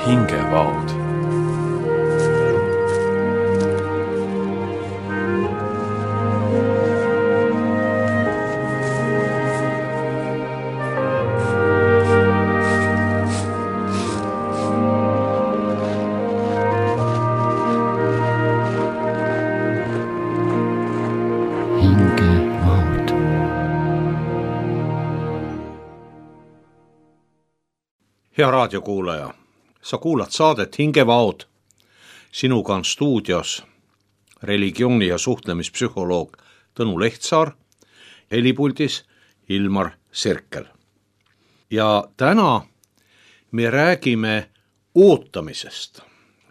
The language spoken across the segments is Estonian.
hingevaod. Hea raadiokuulaja, sa kuulad saadet Hingevaod. Sinuga on stuudios religiooni- ja suhtlemispsühholoog Tõnu Lehtsaar, helipuldis Ilmar Serkel. Ja täna me räägime ootamisest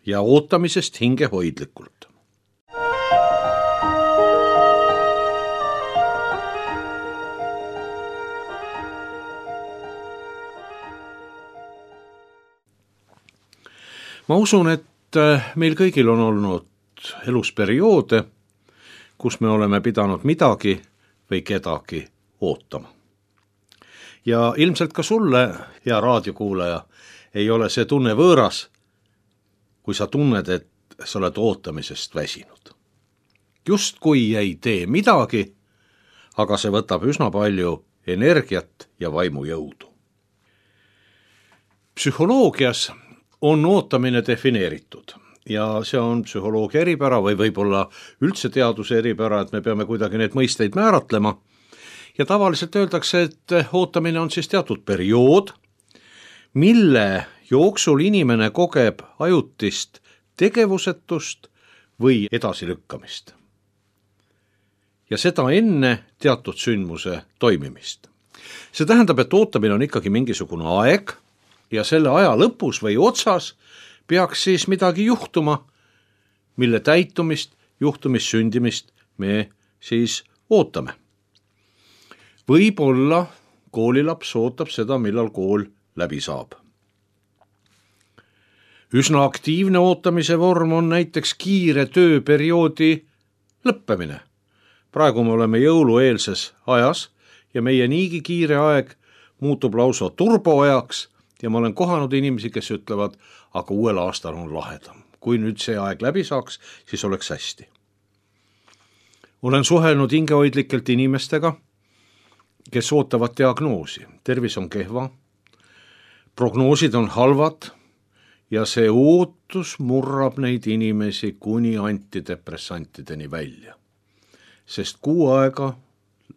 ja ootamisest hingehoidlikult. Ma usun, et meil kõigil on olnud elus perioode, kus me oleme pidanud midagi või kedagi ootama. Ja ilmselt ka sulle, hea raadiokuulaja, ei ole see tunne võõras, kui sa tunned, et sa oled ootamisest väsinud. Justkui ei tee midagi, aga see võtab üsna palju energiat ja vaimujõudu. Psühholoogias on ootamine defineeritud ja see on psühholoogia eripära või võib-olla üldse teaduse eripära, et me peame kuidagi need mõisteid määratlema. Ja tavaliselt öeldakse, et ootamine on siis teatud periood, mille jooksul inimene kogeb ajutist tegevusetust või edasilükkamist. Ja seda enne teatud sündmuse toimimist. See tähendab, et ootamine on ikkagi mingisugune aeg, ja selle aja lõpus või otsas peaks siis midagi juhtuma, mille täitumist, juhtumist, sündimist me siis ootame. Võib-olla koolilaps ootab seda, millal kool läbi saab. Üsna aktiivne ootamise vorm on näiteks kiire tööperioodi lõppemine. Praegu me oleme jõulueelses ajas ja meie niigi kiire aeg muutub lausa turboajaks. Ja ma olen kohanud inimesi, kes ütlevad, aga uuel aastal on lahedam. Kui nüüd see aeg läbi saaks, siis oleks hästi. Olen suhelnud hingehoidlikelt inimestega, kes ootavad diagnoosi. Tervis on kehva, prognoosid on halvad ja see ootus murrab neid inimesi kuni antidepressantideni välja. Sest kuu aega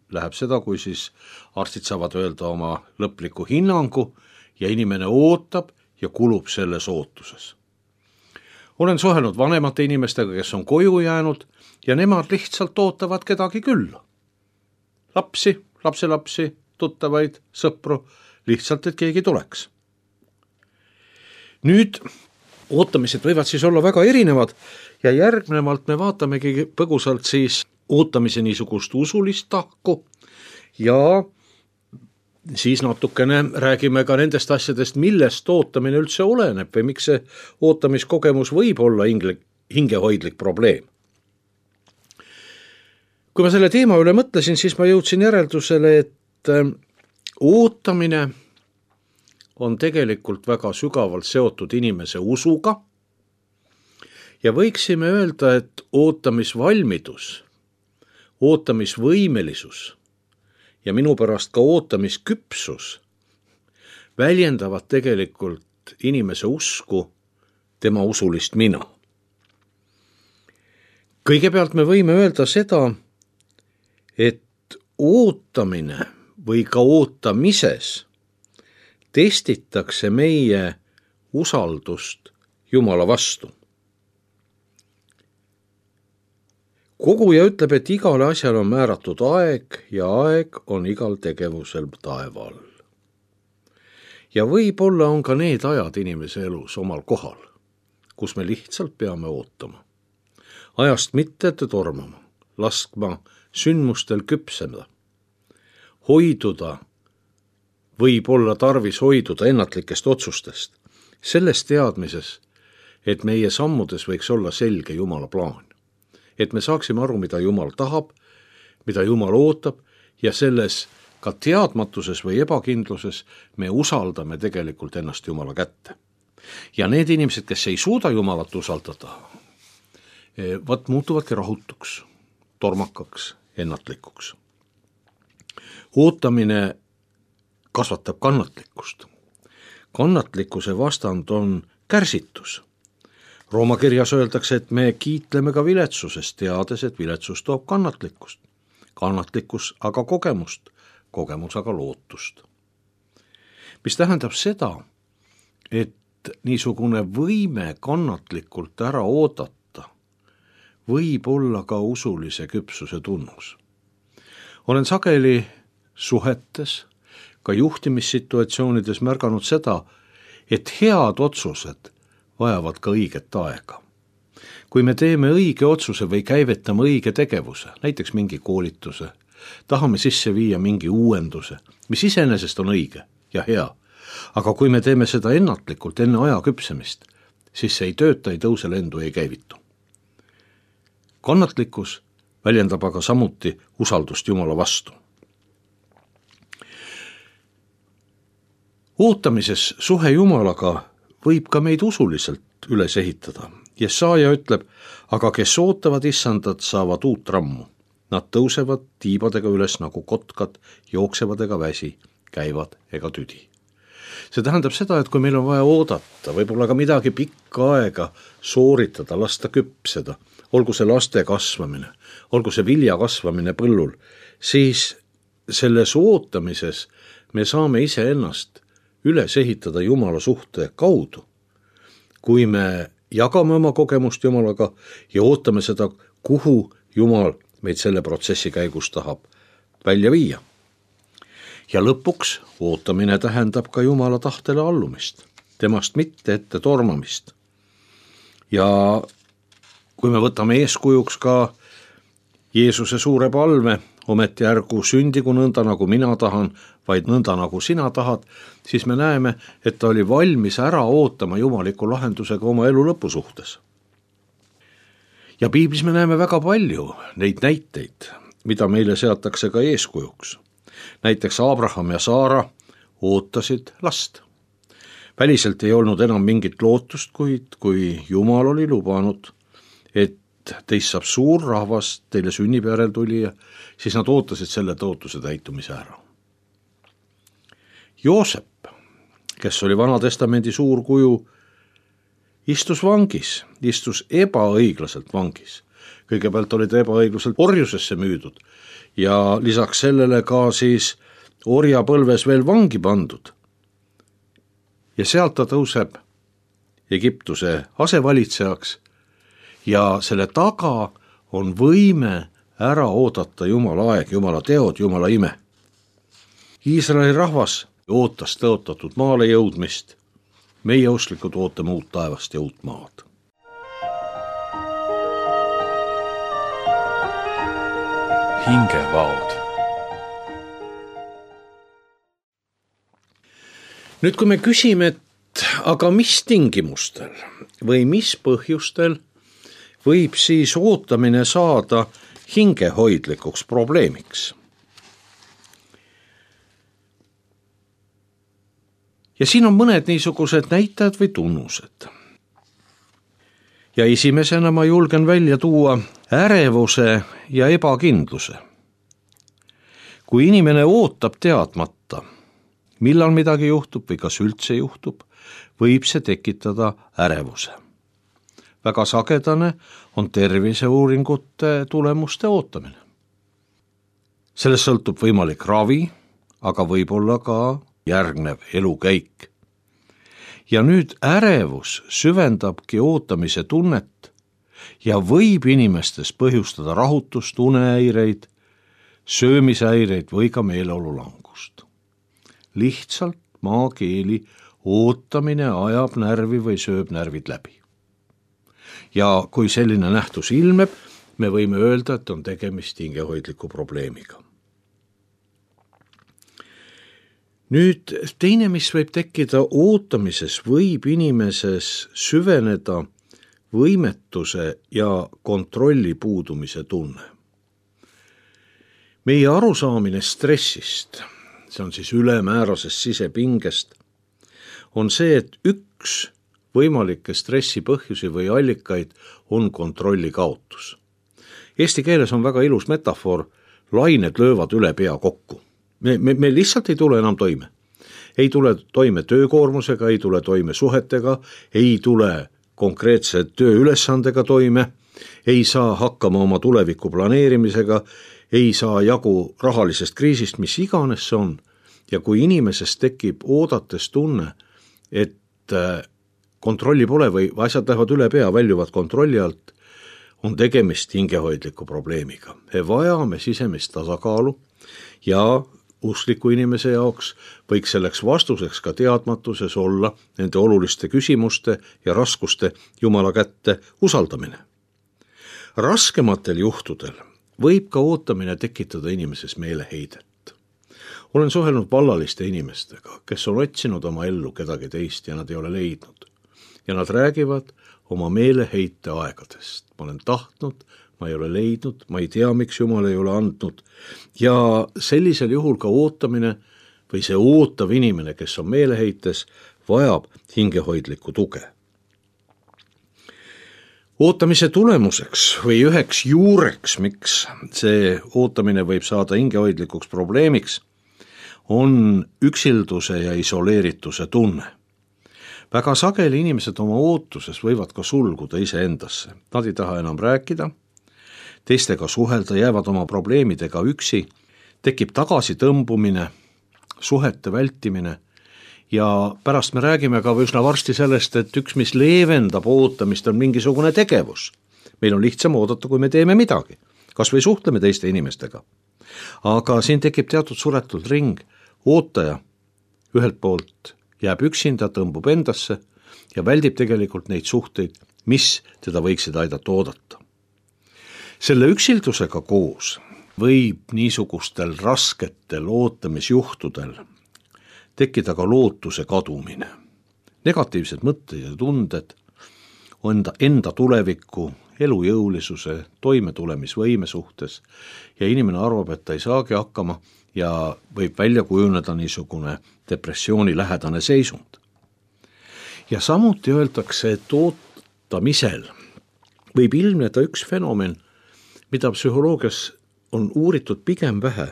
läheb seda, kui siis arstid saavad öelda oma lõpliku hinnangu, ja inimene ootab ja kulub selles ootuses. Olen suhelnud vanemate inimestega, kes on koju jäänud ja nemad lihtsalt ootavad kedagi külla. Lapsi, lapselapsi, tuttavaid, sõpru, lihtsalt, et keegi tuleks. Nüüd ootamised võivad siis olla väga erinevad ja järgnevalt me vaatamegi põgusalt siis ootamise niisugust usulist tahku ja siis natukene räägime ka nendest asjadest, millest ootamine üldse oleneb või miks see ootamiskogemus võib olla hingehoidlik probleem. Kui ma selle teema üle mõtlesin, siis ma jõudsin järeldusele, et ootamine on tegelikult väga sügavalt seotud inimese usuga ja võiksime öelda, et ootamisvalmidus, ootamisvõimelisus ja minu pärast ka ootamisküpsus väljendavad tegelikult inimese usku, tema usulist mina. Kõigepealt me võime öelda seda, et ootamine või ka ootamises testitakse meie usaldust Jumala vastu. Koguja ütleb, et igale asjal on määratud aeg ja aeg on igal tegevusel taeva all. Ja võib-olla on ka need ajad inimese elus omal kohal, kus me lihtsalt peame ootama. Ajast mitte tormama, laskma sündmustel küpseda. Hoiduda, võib olla tarvis hoiduda ennatlikest otsustest, selles teadmises, et meie sammudes võiks olla selge Jumala plaan. Et me saaksime aru, mida Jumal tahab, mida Jumal ootab ja selles ka teadmatuses või ebakindluses me usaldame tegelikult ennast Jumala kätte. ja need inimesed, kes ei suuda Jumalat usaldada, muutuvadki rahutuks, tormakaks, ennatlikuks. Ootamine kasvatab kannatlikkust. Kannatlikkuse vastand on kärsitus. Rooma kirjas öeldakse, et me kiitleme ka viletsusest, teades, et viletsus toob kannatlikkust. Kannatlikkus aga kogemust, kogemus aga lootust. Mis tähendab seda, et niisugune võime kannatlikult ära oodata võib olla ka usulise küpsuse tunnus. Olen sageli suhetes, ka juhtimissituatsioonides märganud seda, et head otsused vajavad ka õiget aega. Kui me teeme õige otsuse või käivitame õige tegevuse, näiteks mingi koolituse, tahame sisse viia mingi uuenduse, mis iseenesest on õige ja hea, aga kui me teeme seda ennatlikult enne aja küpsemist, siis see ei tööta, ei tõuse lendu, ei käivitu. Kannatlikkus väljendab aga samuti usaldust Jumala vastu. Ootamises suhe Jumalaga võib ka meid usuliselt üles ehitada. Jesaja ütleb, aga kes ootavad issandat, saavad uut rammu. Nad tõusevad tiibadega üles nagu kotkad, jooksevad ega väsi, käivad ega tüdi. See tähendab seda, et kui meil on vaja oodata, võib-olla ka midagi pikka aega sooritada, lasta küpseda, olgu see laste kasvamine, olgu see vilja kasvamine põllul, siis selles ootamises me saame iseennast üles ehitada Jumala suhte kaudu. Kui me jagame oma kogemust Jumalaga ja ootame seda, kuhu Jumal meid selle protsessi käigus tahab välja viia. Ja lõpuks ootamine tähendab ka Jumala tahtele allumist, temast mitte ette tormamist. Ja kui me võtame eeskujuks ka Jeesuse suure palve, ometi ärgu sündigu nõnda, nagu mina tahan, vaid nõnda, nagu sina tahad, siis me näeme, et ta oli valmis ära ootama jumaliku lahendusega oma elu lõpu suhtes. Ja piiblis me näeme väga palju neid näiteid, mida meile seatakse ka eeskujuks. Näiteks Abraham ja Saara ootasid last. Väliselt ei olnud enam mingit lootust, kuid kui Jumal oli lubanud, et teist saab suur rahvas, teile sünnib järeltulija, siis nad ootasid selle tõotuse täitumise ära. Joosep, kes oli Vana-testamendi suur kuju, istus vangis, istus ebaõiglaselt vangis. Kõigepealt oli ta ebaõiglaselt orjusesse müüdud ja lisaks sellele ka siis orjapõlves veel vangi pandud. Ja sealt ta tõuseb Egiptuse asevalitsejaks ja selle taga on võime ära oodata Jumala aeg, Jumala teod, Jumala ime. Iisraeli rahvas ootas tõotatud maale jõudmist. Meie usklikud ootame uut taevast ja uut maad. Hingevaod. Nüüd, kui me küsime, et aga mis tingimustel või mis põhjustel võib siis ootamine saada hingehoidlikuks probleemiks? Ja siin on mõned niisugused näitajad või tunnused. Ja esimesena ma julgen välja tuua ärevuse ja ebakindluse. Kui inimene ootab teadmata, millal midagi juhtub või kas üldse juhtub, võib see tekitada ärevuse. Väga sagedane on terviseuuringute tulemuste ootamine. Sellest sõltub võimalik ravi, aga võib-olla ka järgnev elukäik. Ja nüüd ärevus süvendabki ootamise tunnet ja võib inimestes põhjustada rahutust, unehäireid, söömishäireid või ka meeleolulangust. Lihtsalt maakeeli ootamine ajab närvi või sööb närvid läbi. Ja kui selline nähtus ilmeb, me võime öelda, et on tegemist hingehoidliku probleemiga. Nüüd teine, mis võib tekkida ootamises, võib inimeses süveneda võimetuse ja kontrolli puudumise tunne. Meie arusaamine stressist, see on siis ülemäärasest sisepingest, on see, et üks võimalikke stressi põhjusi või allikaid on kontrolli kaotus. Eesti keeles on väga ilus metafoor, lained löövad üle pea kokku. Me lihtsalt ei tule enam toime. Ei tule toime töökoormusega, ei tule toime suhetega, ei tule konkreetse tööülesandega toime, ei saa hakkama oma tuleviku planeerimisega, ei saa jagu rahalisest kriisist, mis iganes see on. Ja kui inimesest tekib oodates tunne, et kontrolli pole või asjad lähevad üle pea, väljuvad kontrolli alt, on tegemist hingehoidliku probleemiga. Me vajame sisemist tasakaalu ja uskliku inimese jaoks võiks selleks vastuseks ka teadmatuses olla nende oluliste küsimuste ja raskuste Jumala kätte usaldamine. Raskematel juhtudel võib ka ootamine tekitada inimeses meeleheidet. Olen suhelnud vallaliste inimestega, kes on otsinud oma ellu kedagi teist ja nad ei ole leidnud. Ja nad räägivad oma meeleheite aegadest. Ma olen tahtnud, ma ei ole leidnud, ma ei tea, miks Jumal ei ole andnud. Ja sellisel juhul ka ootamine või see ootav inimene, kes on meeleheites, vajab hingehoidlikku tuge. Ootamise tulemuseks või üheks juureks, miks see ootamine võib saada hingehoidlikuks probleemiks, on üksilduse ja isoleerituse tunne. Väga sageli inimesed oma ootuses võivad ka sulguda iseendasse. Nad ei taha enam rääkida, teistega suhelda, jäävad oma probleemidega üksi, tekib tagasitõmbumine, suhete vältimine ja pärast me räägime ka üsna varsti sellest, et üks, mis leevendab ootamist, on mingisugune tegevus. Meil on lihtsam oodata, kui me teeme midagi, kas või suhtleme teiste inimestega. Aga siin tekib teatud suretud ring, ootaja ühelt poolt jääb üksinda, tõmbub endasse ja väldib tegelikult neid suhteid, mis teda võiksid aidata oodata. Selle üksildusega koos võib niisugustel rasketel ootamisjuhtudel tekkida ka lootuse kadumine. Negatiivsed mõtted ja tunded enda tuleviku, elujõulisuse, toimetulemisvõime suhtes ja inimene arvab, et ta ei saagi hakkama ja võib välja kujuneda niisugune depressiooni lähedane seisund. Ja samuti öeldakse, et ootamisel võib ilmneda üks fenomen, mida psühholoogias on uuritud pigem vähe,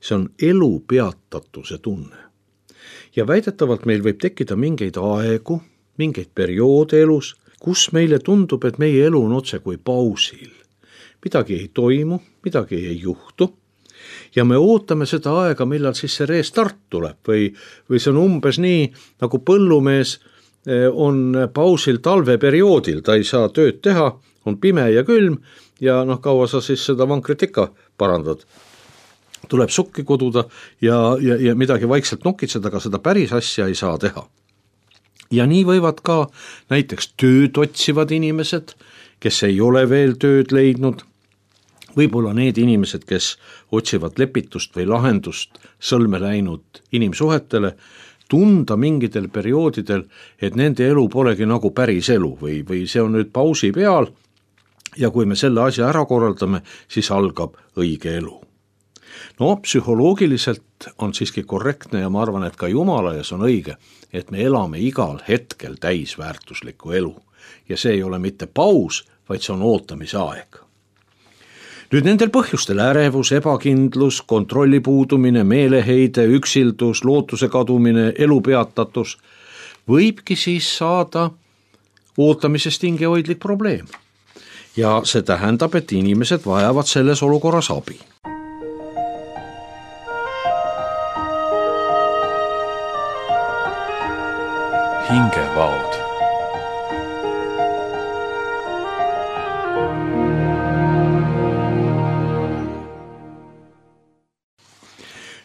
see on elu peatatuse tunne. Ja väidetavalt meil võib tekkida mingeid aegu, mingeid perioode elus, kus meile tundub, et meie elu on otse kui pausil. Midagi ei toimu, midagi ei juhtu ja me ootame seda aega, millal siis see restart tuleb või see on umbes nii, nagu põllumees on pausil talveperioodil, ta ei saa tööd teha, on pime ja külm ja kaua sa siis seda vankrit ikka parandad. Tuleb sukki koduda ja midagi vaikselt nokitseda, aga seda päris asja ei saa teha. Ja nii võivad ka näiteks tööd otsivad inimesed, kes ei ole veel tööd leidnud, võib-olla need inimesed, kes otsivad lepitust või lahendust sõlme läinud inimsuhetele, tunda mingitel perioodidel, et nende elu polegi nagu päris elu või see on nüüd pausi peal ja kui me selle asja ära korraldame, siis algab õige elu. No psühholoogiliselt on siiski korrektne ja ma arvan, et ka Jumalajas on õige, et me elame igal hetkel täisväärtuslikku elu ja see ei ole mitte paus, vaid see on ootamise aeg. Nüüd nendel põhjustel ärevus, ebakindlus, kontrolli puudumine, meeleheide, üksildus, lootuse kadumine, elu peatatus võibki siis saada ootamisest hingehoidlik probleem. Ja see tähendab, et inimesed vajavad selles olukorras abi. Hingevaod.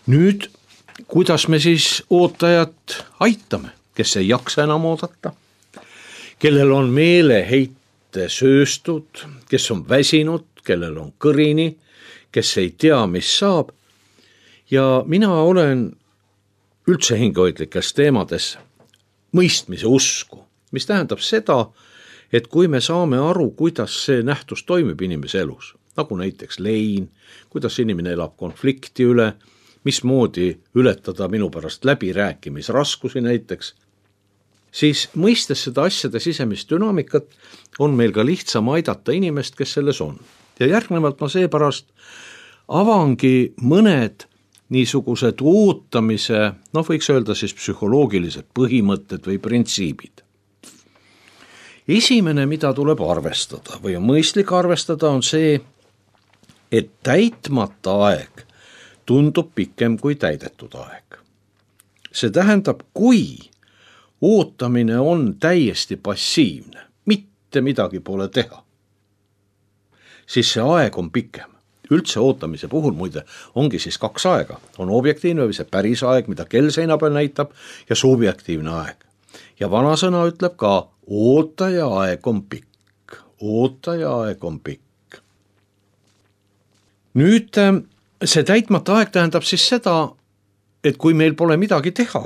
Nüüd, kuidas me siis ootajat aitame, kes ei jaksa enam oodata, kellel on meeleheite sööstud, kes on väsinud, kellel on kõrini, kes ei tea, mis saab. Ja mina olen üldse hingehoidlikes teemades mõistmise usku, mis tähendab seda, et kui me saame aru, kuidas see nähtus toimib inimese elus, nagu näiteks lein, kuidas inimene elab konflikti üle, mismoodi ületada minu pärast läbirääkimisraskusi näiteks, siis mõistes seda asjade sisemist dünaamikat, on meil ka lihtsam aidata inimest, kes selles on. Ja järgnevalt ma seepärast avangi mõned niisugused ootamise, võiks öelda siis psühholoogilised põhimõtted või printsiibid. Esimene, mida tuleb arvestada või on mõistlik arvestada, on see, et täitmata aeg tundub pikem kui täidetud aeg. See tähendab, kui ootamine on täiesti passiivne, mitte midagi pole teha, siis see aeg on pikem. Üldse ootamise puhul muide ongi siis 2 aega. On objektiivne või see päris aeg, mida kell seina peal näitab, ja subjektiivne aeg. Ja vanasõna ütleb ka, ootaja aeg on pikk. Ootaja aeg on pikk. Nüüd see täitmata aeg tähendab siis seda, et kui meil pole midagi teha,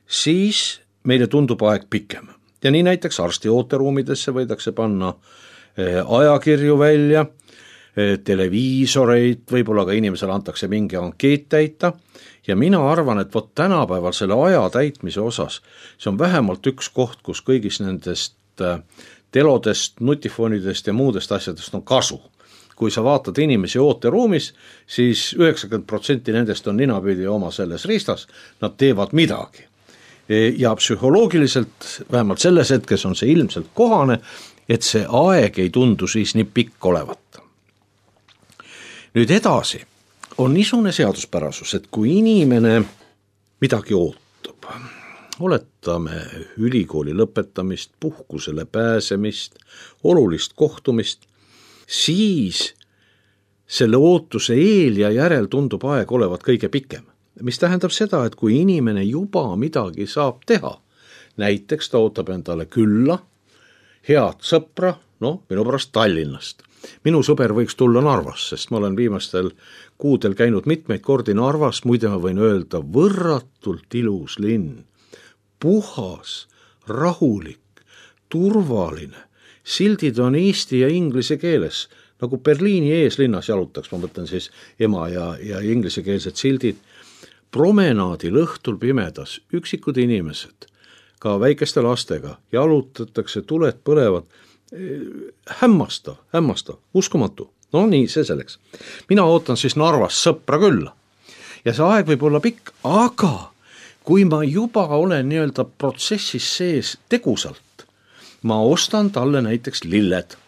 siis meile tundub aeg pikem. Ja nii näiteks arsti ooteruumidesse võidakse panna ajakirju välja, televiisoreid, võib-olla ka inimesele antakse mingi ankeet täita ja mina arvan, et tänapäeval selle aja täitmise osas, see on vähemalt üks koht, kus kõigis nendest telodest, nutifonidest ja muudest asjadest on kasu. Kui sa vaatad inimesi ooteruumis, siis 90% nendest on ninapidi oma selles ristas, nad teevad midagi. Ja psühholoogiliselt, vähemalt selles hetkes on see ilmselt kohane, et see aeg ei tundu siis nii pikk olevat. Nüüd edasi on niisugune seaduspärasus, et kui inimene midagi ootab, oletame ülikooli lõpetamist, puhkusele pääsemist, olulist kohtumist, siis selle ootuse eel ja järel tundub aeg olevat kõige pikem. Mis tähendab seda, et kui inimene juba midagi saab teha, näiteks ta ootab endale külla, head sõpra, minu pärast Tallinnast. Minu sõber võiks tulla Narvas, sest ma olen viimastel kuudel käinud mitmeid kordi Narvas, muide ma võin öelda, võrratult ilus linn, puhas, rahulik, turvaline, sildid on eesti ja inglise keeles, nagu Berliini eeslinnas jalutaks, ma mõtlen siis ema ja inglisekeelsed sildid, promenaadil õhtul pimedas, üksikud inimesed, ka väikeste lastega, jalutatakse, tuled põlevad, hämmastav, uskumatu. Nii, see selleks. Mina ootan siis Narvas sõpra külla. Ja see aeg võib olla pikk, aga kui ma juba olen nii-öelda protsessis sees tegusalt, ma ostan talle näiteks lilled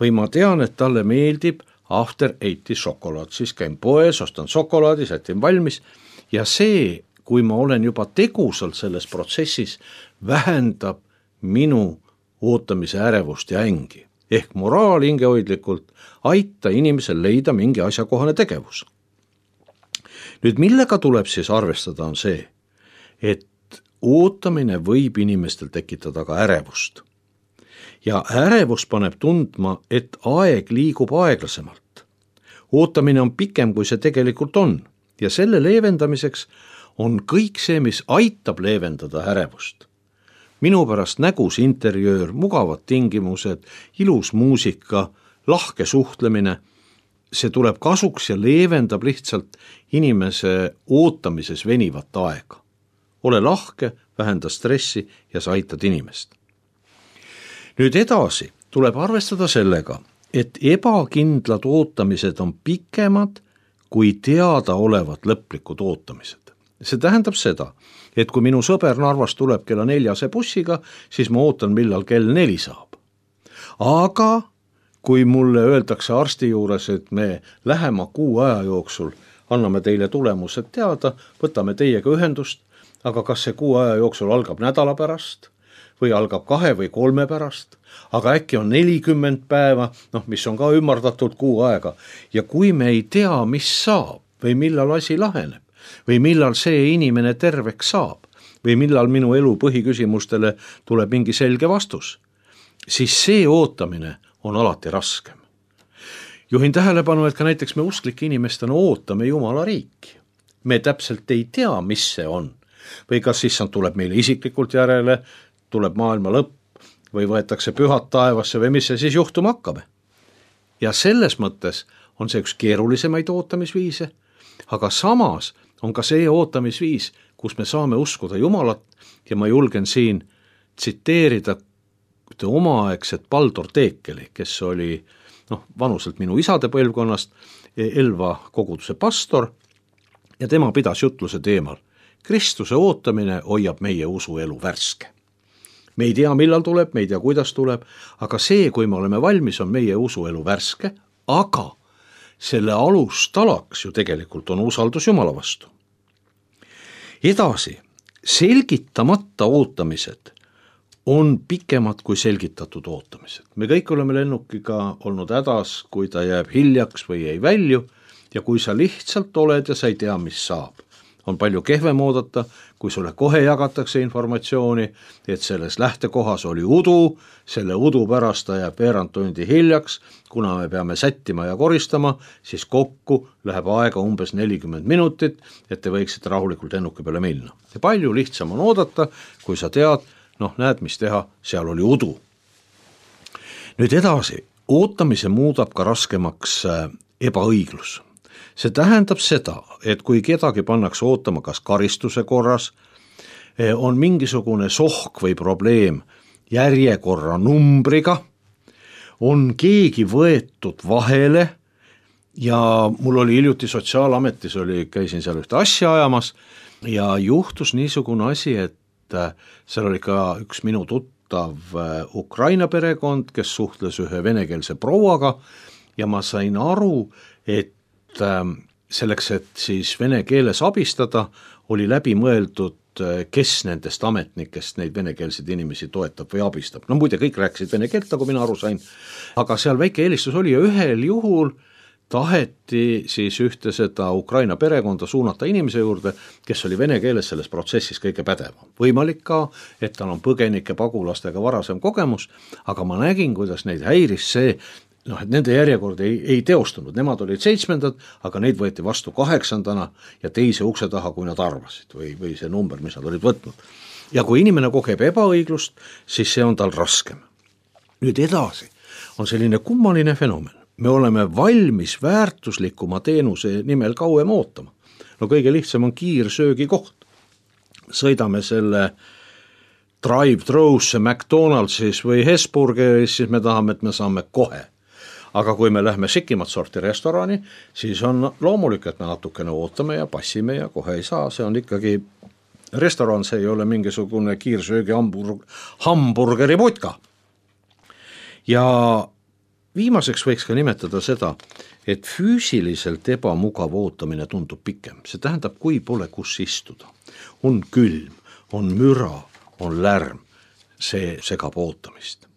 või ma tean, et talle meeldib After 80 šokolaad, siis käin poes, ostan šokolaadi, sätin valmis ja see, kui ma olen juba tegusalt selles protsessis, vähendab minu ootamise ärevust ja ängi. Ehk moraal hingehoidlikult aita inimesel leida mingi asjakohane tegevus. Nüüd millega tuleb siis arvestada on see, et ootamine võib inimestel tekitada ka ärevust. Ja ärevus paneb tundma, et aeg liigub aeglasemalt. Ootamine on pikem, kui see tegelikult on. Ja selle leevendamiseks on kõik see, mis aitab leevendada ärevust. Minu pärast nägus interjöör, mugavad tingimused, ilus muusika, lahke suhtlemine, see tuleb kasuks ja leevendab lihtsalt inimese ootamises venivat aega. Ole lahke, vähenda stressi ja sa aitad inimest. Nüüd edasi tuleb arvestada sellega, et ebakindlad ootamised on pikemad kui teada olevad lõplikud ootamised. See tähendab seda, et kui minu sõber Narvas tuleb kella 4 bussiga, siis ma ootan, millal kell 4 saab. Aga kui mulle öeldakse arsti juures, et me lähema 6 aja jooksul anname teile tulemused teada, võtame teiega ühendust, aga kas see 6 aja jooksul algab nädala pärast või algab 2 või 3 pärast, aga äkki on 40 päeva, mis on ka ümardatult 6 aega. Ja kui me ei tea, mis saab või millal asi laheneb, või millal see inimene terveks saab või millal minu elu põhiküsimustele tuleb mingi selge vastus, siis see ootamine on alati raskem. Juhin tähelepanu, et ka näiteks me usklike inimestena ootame Jumala riiki. Me täpselt ei tea, mis see on. Või kas siis tuleb meile isiklikult järele, tuleb maailma lõpp või võetakse pühad taevasse või mis see siis juhtuma hakkab. Ja selles mõttes on see üks keerulisemaid ootamisviise, aga samas on ka see ootamisviis, kus me saame uskuda Jumalat ja ma julgen siin tsiteerida ühte omaaegset Baldur Teekeli, kes oli vanuselt minu isade põlvkonnast, Elva koguduse pastor, ja tema pidas jutluse teemal: Kristuse ootamine hoiab meie usuelu värske. Me ei tea, millal tuleb, me ei tea, kuidas tuleb, aga see, kui me oleme valmis, on meie usuelu värske, aga selle alustalaks ju tegelikult on usaldus Jumala vastu. Edasi, selgitamata ootamised on pikemad kui selgitatud ootamised. Me kõik oleme lennukiga olnud hädas, kui ta jääb hiljaks või ei välju, ja kui sa lihtsalt oled ja sa ei tea, mis saab. On palju kehvem oodata, kui sulle kohe jagatakse informatsiooni, et selles lähtekohas oli udu, selle udu pärast ta jääb veerand tundi hiljaks, kuna me peame sättima ja koristama, siis kokku läheb aega umbes 40 minutit, et te võiksite rahulikult lennuki peale minna. Ja palju lihtsam on oodata, kui sa tead, näed, mis teha, seal oli udu. Nüüd edasi, ootamise muudab ka raskemaks ebaõiglus. See tähendab seda, et kui kedagi pannakse ootama kas karistuse korras, on mingisugune sohk või probleem järjekorra numbriga, on keegi võetud vahele, ja mul oli hiljuti Sotsiaalametis, käisin seal ühte asja ajamas ja juhtus niisugune asi, et seal oli ka üks minu tuttav Ukraina perekond, kes suhtles ühe venekeelse prouaga, ja ma sain aru, et selleks, et siis vene keeles abistada, oli läbi mõeldud, kes nendest ametnikest neid venekeelseid inimesi toetab või abistab. Muide, kõik rääkisid vene keelt, nagu mina aru sain, aga seal väike eelistus oli, ja ühel juhul taheti siis ühte seda Ukraina perekonda suunata inimese juurde, kes oli vene keeles selles protsessis kõige pädevam. Võimalik ka, et tal on põgenike pagulastega varasem kogemus, aga ma nägin, kuidas neid häiris see, et nende järjekord ei teostunud, nemad olid 7, aga neid võeti vastu 8 ja teise ukse taha, kui nad arvasid, või see number, mis nad olid võtnud. Ja kui inimene kogeb ebaõiglust, siis see on tal raskem. Nüüd edasi on selline kummaline fenomen. Me oleme valmis väärtuslikuma teenuse nimel kauem ootama. Kõige lihtsam on kiirsöögi koht. Sõidame selle drive-thru'sse McDonaldsis või Hesburgeris, siis me tahame, et me saame kohe. Aga kui me lähme sikimat sorti restorani, siis on loomulik, et me natukene ootame ja passime ja kohe ei saa. See on ikkagi restoran, see ei ole mingisugune kiirsöögi hamburgeri putka. Ja viimaseks võiks ka nimetada seda, et füüsiliselt ebamugav ootamine tundub pikem. See tähendab, kui pole kus istuda. On külm, on müra, on lärm. See segab ootamist.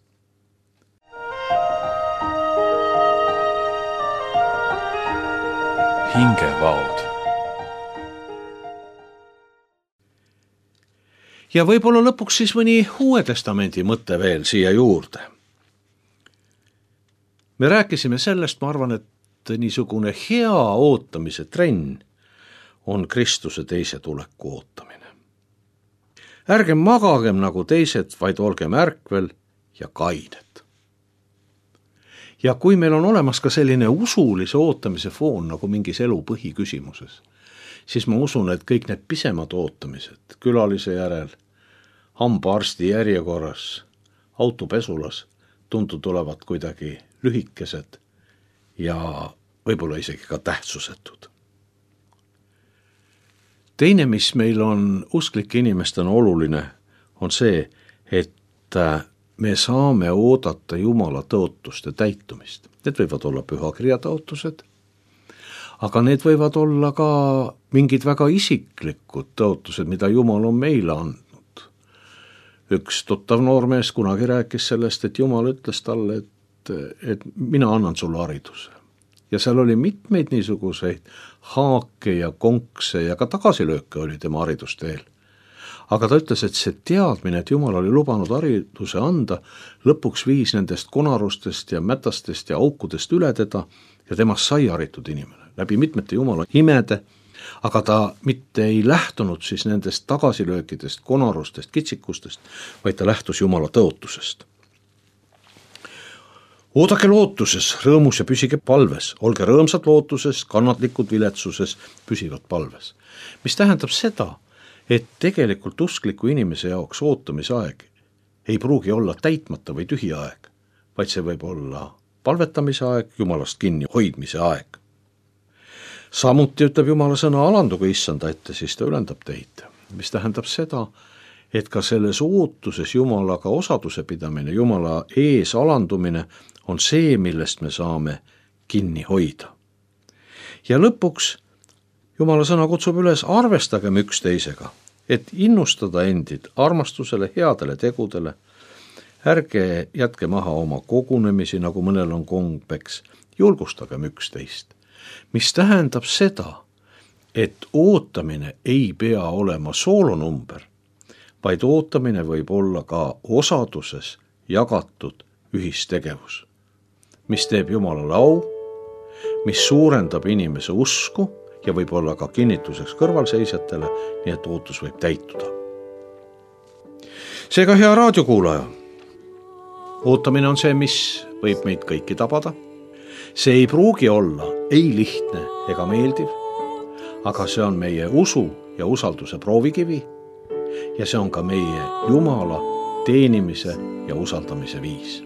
Hingevaod. Ja võib-olla lõpuks siis mõni Uue Testamendi mõte veel siia juurde. Me rääkisime sellest, ma arvan, et niisugune hea ootamise trenn on Kristuse teise tuleku ootamine. Ärgem magagem nagu teised, vaid olgem ärkvel ja kained. Ja kui meil on olemas ka selline usulise ootamise foon nagu mingis elu põhiküsimuses, siis ma usun, et kõik need pisemad ootamised, külalise järel, hambaarsti järjekorras, autopesulas, tunduvad kuidagi lühikesed ja võib-olla isegi ka tähtsusetud. Teine, mis meil on usklike inimestena oluline, on see, et me saame oodata Jumala tõotuste täitumist. Need võivad olla pühakirja tõotused, aga need võivad olla ka mingid väga isiklikud tõotused, mida Jumal on meile andnud. Üks tuttav noormees kunagi rääkis sellest, et Jumal ütles talle, et mina annan sulle hariduse. Ja seal oli mitmeid niisuguseid haake ja konkse ja ka tagasilööke oli tema haridusteel. Aga ta ütles, et see teadmine, et Jumal oli lubanud hariduse anda, lõpuks viis nendest konarustest ja mätastest ja aukudest üle teda ja temast sai haritud inimene läbi mitmete Jumala imede, aga ta mitte ei lähtunud siis nendest tagasilöökidest, konarustest, kitsikustest, vaid ta lähtus Jumala tõotusest. Oodake lootuses, rõõmus ja püsige palves, olge rõõmsad lootuses, kannatlikud viletsuses, püsivad palves. Mis tähendab seda, et tegelikult uskliku inimese jaoks ootamise aeg ei pruugi olla täitmata või tühi aeg, vaid see võib olla palvetamise aeg, Jumalast kinni hoidmise aeg. Samuti ütleb Jumala sõna, alanduge issanda ette, siis ta ülendab teid, mis tähendab seda, et ka selles ootuses Jumalaga osaduse pidamine, Jumala ees alandumine on see, millest me saame kinni hoida. Ja lõpuks Jumala sõna kutsub üles, arvestagem üksteisega, et innustada endid armastusele, headele tegudele. Ärge jätke maha oma kogunemisi, nagu mõnel on kombeks, julgustagem üksteist. Mis tähendab seda, et ootamine ei pea olema soolonumber, vaid ootamine võib olla ka osaduses jagatud ühistegevus, mis teeb Jumalale au, mis suurendab inimese usku ja võib olla ka kinnituseks kõrvalseisjatele, nii et ootus võib täituda. Seega, hea raadiokuulaja, ootamine on see, mis võib meid kõiki tabada. See ei pruugi olla ei lihtne ega meeldiv, aga see on meie usu ja usalduse proovikivi ja see on ka meie Jumala teenimise ja usaldamise viis.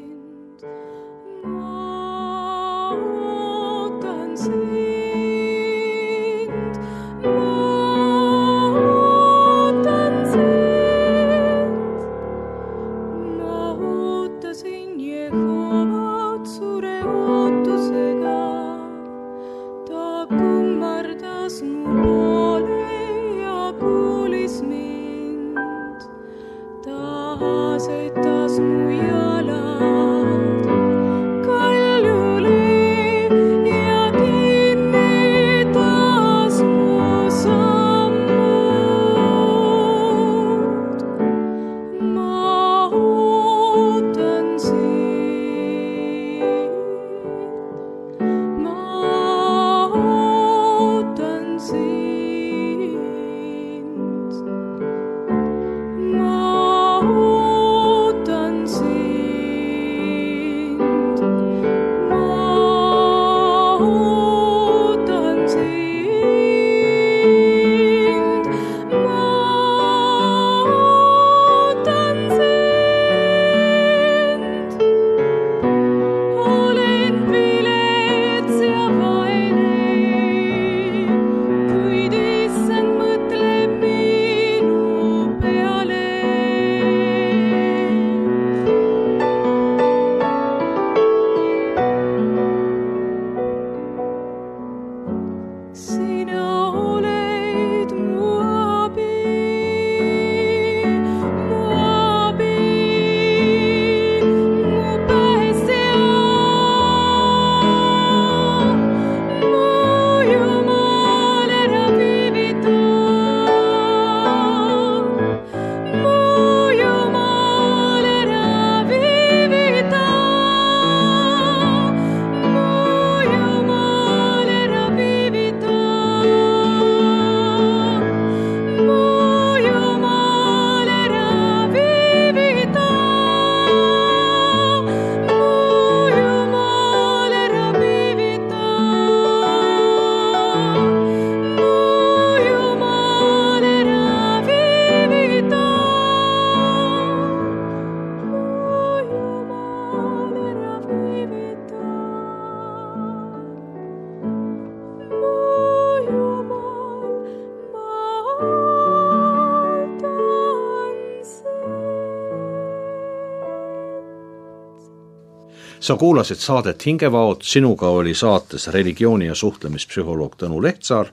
Sa kuulasid saadet Hingevaod, sinuga oli saates religiooni- ja suhtlemispsühholoog Tõnu Lehtsaar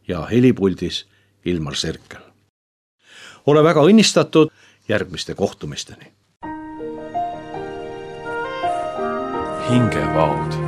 ja helipuldis Ilmar Serkel. Ole väga õnnistatud, järgmiste kohtumisteni. Hingevaod.